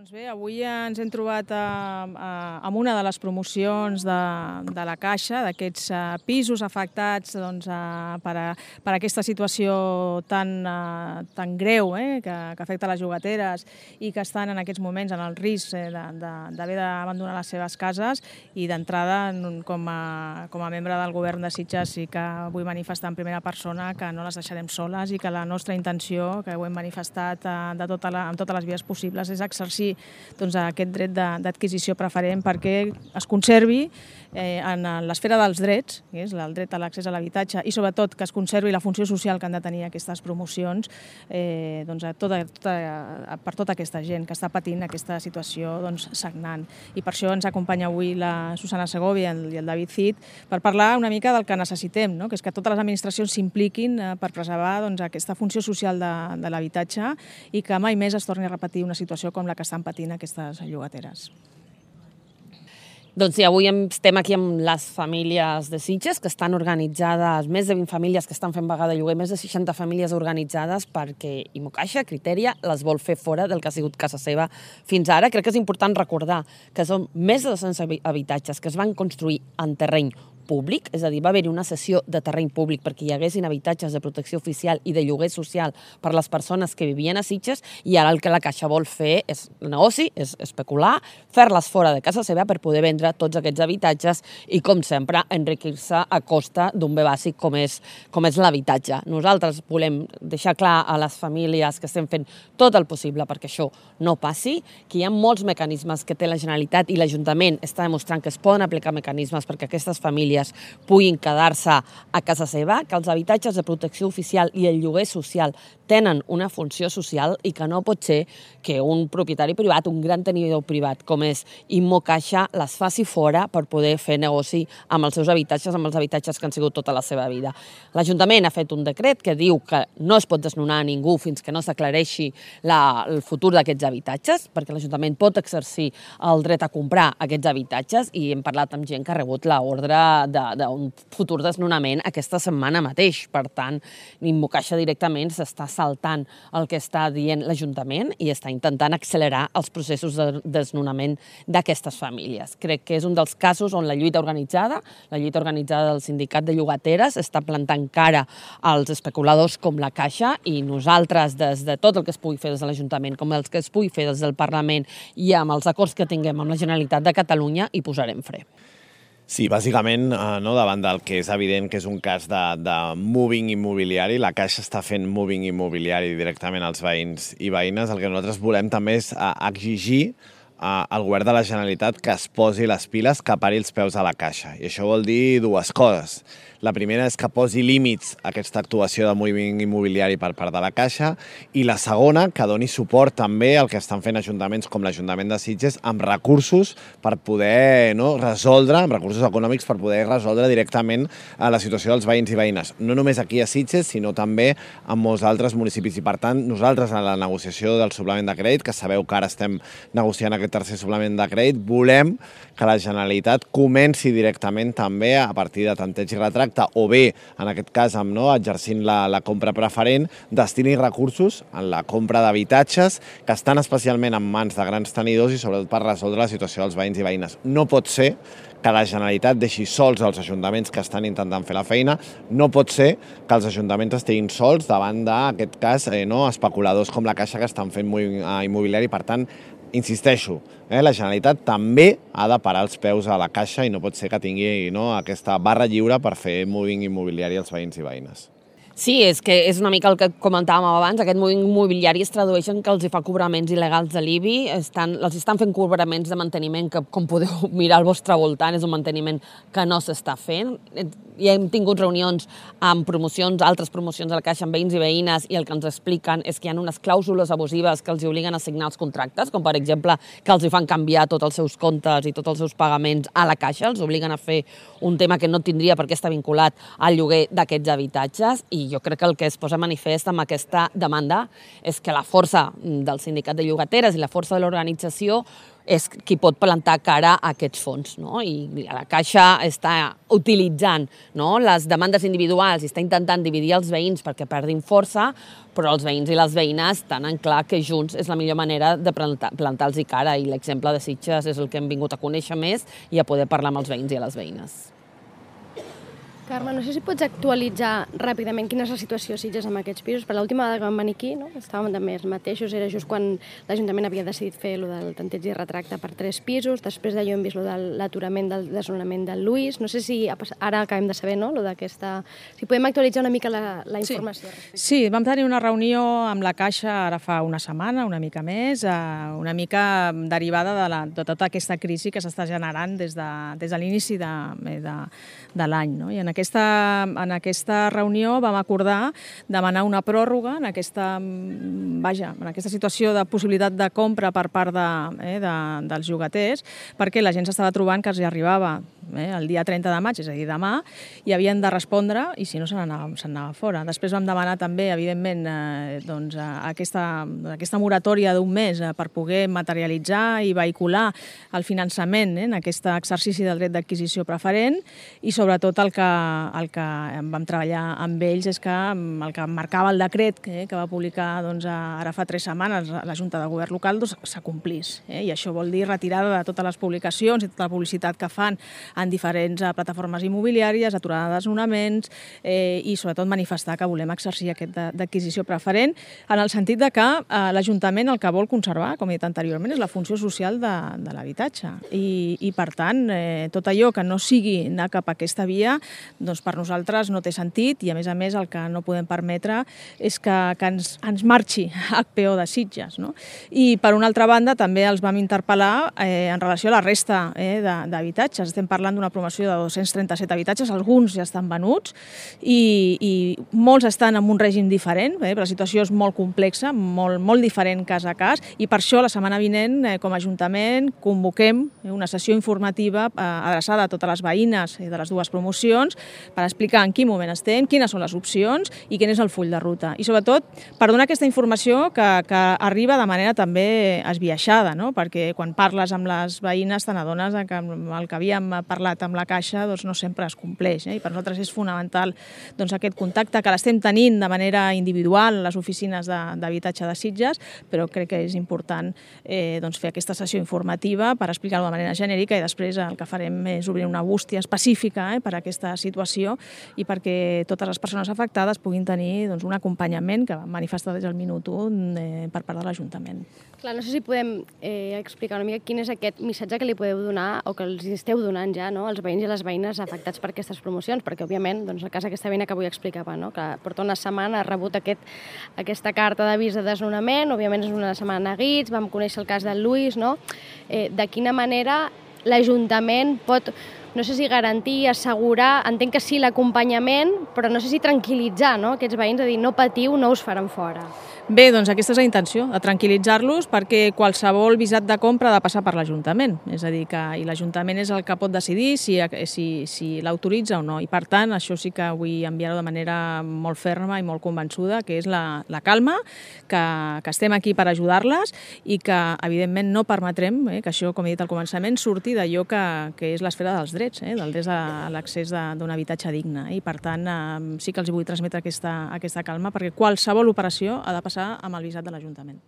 Doncs bé, avui ens hem trobat amb una de les promocions de la Caixa, d'aquests pisos afectats per aquesta situació tan greu que afecta les llogateres i que estan en aquests moments en el risc d'haver d'abandonar les seves cases. I d'entrada, com a membre del govern de Sitges, sí que vull manifestar en primera persona que no les deixarem soles i que la nostra intenció, que ho hem manifestat amb totes les vies possibles, és exercir aquest dret d'adquisició preferent perquè es conservi en l'esfera dels drets, que és el dret a l'accés a l'habitatge, i sobretot que es conservi la funció social que han de tenir aquestes promocions per tota aquesta gent que està patint aquesta situació sagnant. I per això ens acompanya avui la Susana Segovia i el David Cid per parlar una mica del que necessitem, que és que totes les administracions s'impliquin per preservar aquesta funció social de l'habitatge i que mai més es torni a repetir una situació com la que estan patint aquestes llogateres. Doncs sí, avui estem aquí amb les famílies de Sitges, que estan organitzades, més de 20 famílies que estan fent vaga de lloguer, més de 60 famílies organitzades perquè Imocaixa, Criteria, les vol fer fora del que ha sigut casa seva fins ara. Crec que és important recordar que són més de 200 habitatges que es van construir en terreny públic, és a dir, va haver-hi una cessió de terreny públic perquè hi haguessin habitatges de protecció oficial i de lloguer social per les persones que vivien a Sitges, i ara el que la Caixa vol fer és negoci, és especular, fer-les fora de casa seva per poder vendre tots aquests habitatges i, com sempre, enriquir-se a costa d'un bé bàsic com és l'habitatge. Nosaltres volem deixar clar a les famílies que estem fent tot el possible perquè això no passi, que hi ha molts mecanismes que té la Generalitat i l'Ajuntament està demostrant que es poden aplicar mecanismes perquè aquestes famílies puguin quedar-se a casa seva, que els habitatges de protecció oficial i el lloguer social tenen una funció social i que no pot ser que un propietari privat, un gran tenidor privat com és Immocaixa, les faci fora per poder fer negoci amb els seus habitatges, amb els habitatges que han sigut tota la seva vida. L'Ajuntament ha fet un decret que diu que no es pot desnonar a ningú fins que no s'aclareixi el futur d'aquests habitatges, perquè l'Ajuntament pot exercir el dret a comprar aquests habitatges, i hem parlat amb gent que ha rebut l'ordre d'un futur desnonament aquesta setmana mateix. Per tant, Immocaixa directament s'està saltant el que està dient l'Ajuntament i està intentant accelerar els processos de desnonament d'aquestes famílies. Crec que és un dels casos on la lluita organitzada del sindicat de llogateres, està plantant cara als especuladors com la Caixa, i nosaltres, des de tot el que es pugui fer des de l'Ajuntament, com el que es pugui fer des del Parlament i amb els acords que tinguem amb la Generalitat de Catalunya, hi posarem fre. Sí, bàsicament, davant del que és evident que és un cas de moving immobiliari, la Caixa està fent moving immobiliari directament als veïns i veïnes. El que nosaltres volem també és exigir al govern de la Generalitat que es posi les piles, que pari els peus a la Caixa. I això vol dir dues coses. La primera és que posi límits a aquesta actuació de moviment immobiliari per part de la Caixa, i la segona, que doni suport també al que estan fent ajuntaments com l'Ajuntament de Sitges amb recursos per poder resoldre, amb recursos econòmics per poder resoldre directament la situació dels veïns i veïnes. No només aquí a Sitges, sinó també en molts altres municipis. I per tant, nosaltres en la negociació del suplement de crèdit, que sabeu que ara estem negociant aquest tercer suplement de crèdit, volem que la Generalitat comenci directament també a partir de tanteig i retracte, o bé, en aquest cas, exercint la compra preferent, destini recursos en la compra d'habitatges que estan especialment en mans de grans tenidors i sobretot per resoldre la situació dels veïns i veïnes. No pot ser que la Generalitat deixi sols els ajuntaments que estan intentant fer la feina, no pot ser que els ajuntaments estiguin sols davant d'aquest cas especuladors com la Caixa que estan fent immobiliari. Per tant, insisteixo, la Generalitat també ha de parar els peus a la Caixa i no pot ser que tingui aquesta barra lliure per fer moving immobiliari als veïns i veïnes. Sí, és que és una mica el que comentàvem abans, aquest moviment immobiliari es tradueix en que els fa cobraments il·legals de l'IBI, els estan fent cobraments de manteniment que, com podeu mirar al vostre voltant, és un manteniment que no s'està fent. Ja hem tingut reunions amb altres promocions de la Caixa amb veïns i veïnes, i el que ens expliquen és que hi ha unes clàusules abusives que els obliguen a signar els contractes, com per exemple que els fan canviar tots els seus comptes i tots els seus pagaments a la Caixa, els obliguen a fer un tema que no tindria per què estar vinculat al lloguer d'aquests habitatges, i jo crec que el que es posa manifest amb aquesta demanda és que la força del sindicat de llogateres i la força de l'organització és qui pot plantar cara a aquests fons, no? I la Caixa està utilitzant, no, les demandes individuals i està intentant dividir els veïns perquè perdin força, però els veïns i les veïnes tenen clar que junts és la millor manera de plantar-los cara, i l'exemple de Sitges és el que hem vingut a conèixer més i a poder parlar amb els veïns i les veïnes. Carme, no sé si pots actualitzar ràpidament quina és la situació a Sitges amb aquests pisos. Per l'última vegada que vam venir aquí, no? Estàvem també els mateixos, era just quan l'Ajuntament havia decidit fer el del tanteig i retracte per 3 pisos, després d'allò hem vist el de l'aturament del desnonament del Lluís, no sé si ara acabem de saber, no?, si podem actualitzar una mica la informació. Sí, vam tenir una reunió amb la Caixa ara fa una setmana, una mica més, una mica derivada de tota aquesta crisi que s'està generant des de l'inici de l'any, no? I en aquesta reunió vam acordar demanar una pròrroga en aquesta situació de possibilitat de compra per part dels llogaters, perquè la gent s'estava trobant que els hi arribava el dia 30 de maig, és a dir, demà, i havien de respondre, i si no se'n anava fora. Després vam demanar també, evidentment, aquesta moratòria d'un mes per poder materialitzar i vehicular el finançament en aquest exercici del dret d'adquisició preferent, i sobretot el que vam treballar amb ells és que el que marcava el decret que va publicar ara fa 3 setmanes la Junta de Govern local s'acomplís. I això vol dir retirada de totes les publicacions i tota la publicitat que fan en diferents plataformes immobiliàries, aturada de desnonaments i sobretot manifestar que volem exercir aquest d'adquisició preferent en el sentit de que l'Ajuntament el que vol conservar, com he dit anteriorment, és la funció social de l'habitatge. I per tant, tot allò que no sigui anar cap a aquesta via, doncs per nosaltres no té sentit, i a més el que no podem permetre és que ens marxi HPO de Sitges, no? I per una altra banda també els vam interpel·lar en relació a la resta d'habitatges. Estem parlant d'una promoció de 237 habitatges, alguns ja estan venuts i molts estan en un règim diferent, però la situació és molt complexa, molt diferent cas a cas, i per això la setmana vinent, com a Ajuntament, convoquem una sessió informativa adreçada a totes les veïnes de les dues promocions per explicar en quin moment estem, quines són les opcions i quin és el full de ruta. I sobretot per donar aquesta informació que arriba de manera també esbiaixada, no? Perquè quan parles amb les veïnes te n'adones que el que havíem parlat amb la Caixa no sempre es compleix. I per nosaltres és fonamental aquest contacte que l'estem tenint de manera individual a les oficines d'habitatge de Sitges, però crec que és important fer aquesta sessió informativa per explicar-ho de manera genèrica, i després el que farem és obrir una bústia específica per a aquesta situació i perquè totes les persones afectades puguin tenir un acompanyament que vam manifestar des del minut 1 per part de l'Ajuntament. Clar, no sé si podem explicar una mica quin és aquest missatge que li podeu donar o que els esteu donant ja als veïns i a les veïnes afectats per aquestes promocions, perquè òbviament el cas d'aquesta veïna que avui explicava, que porta una setmana ha rebut aquesta carta d'avís de desnonament, òbviament és una setmana neguits, vam conèixer el cas del Lluís, de quina manera l'Ajuntament pot, no sé si garantir, assegurar, entenc que sí l'acompanyament, però no sé si tranquil·litzar aquests veïns, a dir, no patiu, no us faran fora. Bé, doncs aquesta és la intenció, de tranquil·litzar-los, perquè qualsevol visat de compra ha de passar per l'Ajuntament. És a dir, que l'Ajuntament és el que pot decidir si l'autoritza o no. I per tant, això sí que vull enviar-ho de manera molt ferma i molt convençuda, que és la calma, que estem aquí per ajudar-les i que, evidentment, no permetrem que això, com he dit al començament, surti d'allò que és l'esfera dels drets, del dret a l'accés d'un habitatge digne. I per tant, sí que els vull transmetre aquesta calma, perquè qualsevol operació ha de passar amb el visat de l'Ajuntament.